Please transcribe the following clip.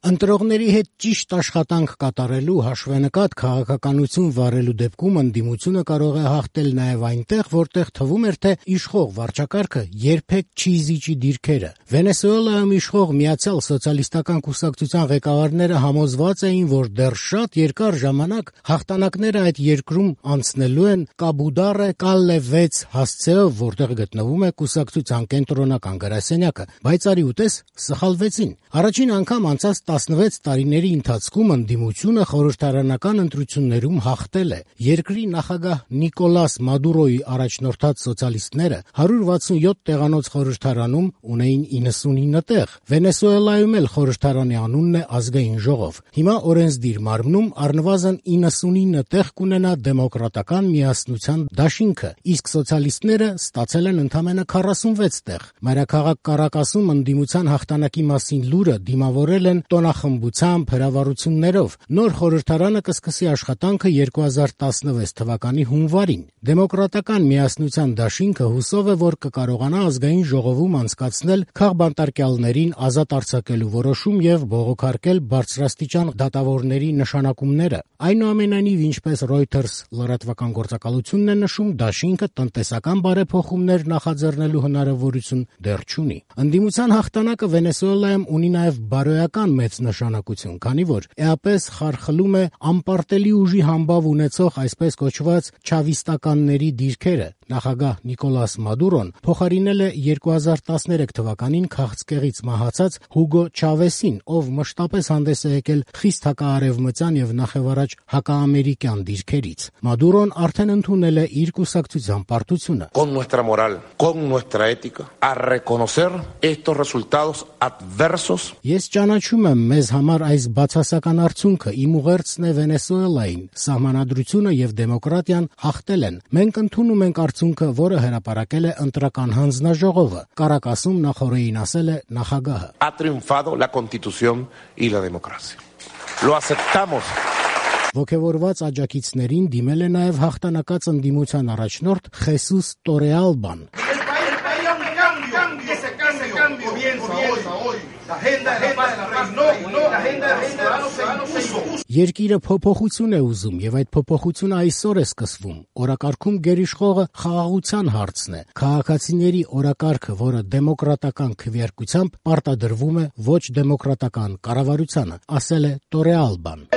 Ընտրողների հետ ճիշտ աշխատանք կատարելու, հաշվենկատ քաղաքականություն վարելու դեպքում ընդդիմությունը կարող է հաղթել նաև այնտեղ, որտեղ թվում էր, թե իշխող վարչակարգը երբեք չի զիջի դիրքերը։ Վենեսուելայում իշխող Միացյալ սոցիալիստական կուսակցության ղեկավարները համոզված էին, որ դեռ շատ երկար ժամանակ հաղթանակները այդ երկրում անցնելու են Կաբուդարե Կալլե 6 հասցեով, որտեղ գտնվում է կուսակցության կենտրոնական գրասենյակը, բայց արի ուտես սխալվեցին։ Առաջին անգամ անցած 16 տարիների ընթացքում ընդդիմությունը խորհրդարանական ընտրություններում հաղթել է։ Երկրի նախագահ Նիկոլաս Մադուրոյի առաջնորդած սոցիալիստները 167 տեղանոց խորհրդարանում ունեին 99 տեղ։ Վենեսուելայում էլ խորհրդարանի անունն է Ազգային ժողով։ Հիմա օրենսդիր մարմնում առնվազն 99 տեղ կունենա Դեմոկրատական միասնության դաշինքը, իսկ սոցիալիստները ստացել են ընդամենը 46 տեղ։ Մայրաքաղաք Կարակասում ընդդիմության հաղթանակի մասին լուրը դիմավորել են տոնախմբությամբ, հրավառություններով։ Նոր խորհրդարանը կսկսի աշխատանքը 2016 թվականի հունվարին։ Դեմոկրատական միասնության դաշինքը հուսով է, որ կկարողանա ազգային ժողովում անցկացնել քաղբանտարկյալներին ազատ արձակելու որոշում եւ բողոքարկել բարձրաստիճան դատավորների նշանակումները։ Այնուամենայնիվ, ինչպես Reuters լրատվական գործակալությունն է նշում, դաշինքը տնտեսական բարեփոխումներ նախաձեռնելու հնարավորություն դեռ չունի։ Ընդդիմության հաղթանակը Վենեսուելայում ունի նաև բարոյական մեծ նշանակություն, քանի որ էապես խարխլում է անպարտելի ուժի համբավ ունեցող այսպես կոչված չավիստականների դիրքերը։ Նախագահ Նիկոլաս Մադուրոն փոխարինել է 2013 թվականին քաղցկեղից մահացած Հուգո Չավեսին, ով մշտապես հանդես է եկել խիստ հակաարևմտյան եւ նախևառաջ հակաամերիկյան դիրքերից։ Մադուրոն արդեն ընդունել է իր կուսակցության պարտությունը։ Con nuestra moral, con nuestra ética, a reconocer estos resultados adversos. Ես ճանաչում եմ մեզ համար այս բացասական արդյունքը, իմ ուղերձն է Վենեսուելային, սահմանադրությունը եւ դեմոկրատիան հաղթել են։ Մենք ընդունում ենք արդյունքը, որը հրապարակել է ընտրական հանձնաժողովը։ Կարակասում նախորդին ասել է նախագահը։ Ha triunfado la Constitución y la democracia. Lo aceptamos. Ոգևորված աջակիցներին դիմել է նաև հաղթանակած ընդդիմության առաջնորդ Խեսուս Տորեալբան։ Երկիրը փոփոխություն է ուզում եւ այդ փոփոխությունը այսօր է սկսվում։ Օրակարգում գերիշխողը խաղաղության հարցն է։ Քաղաքացիների օրակարգը, որը դեմոկրատական քվեարկությամբ պարտադրվում է ոչ դեմոկրատական կառավարությանը, ասել է Տորեալբան։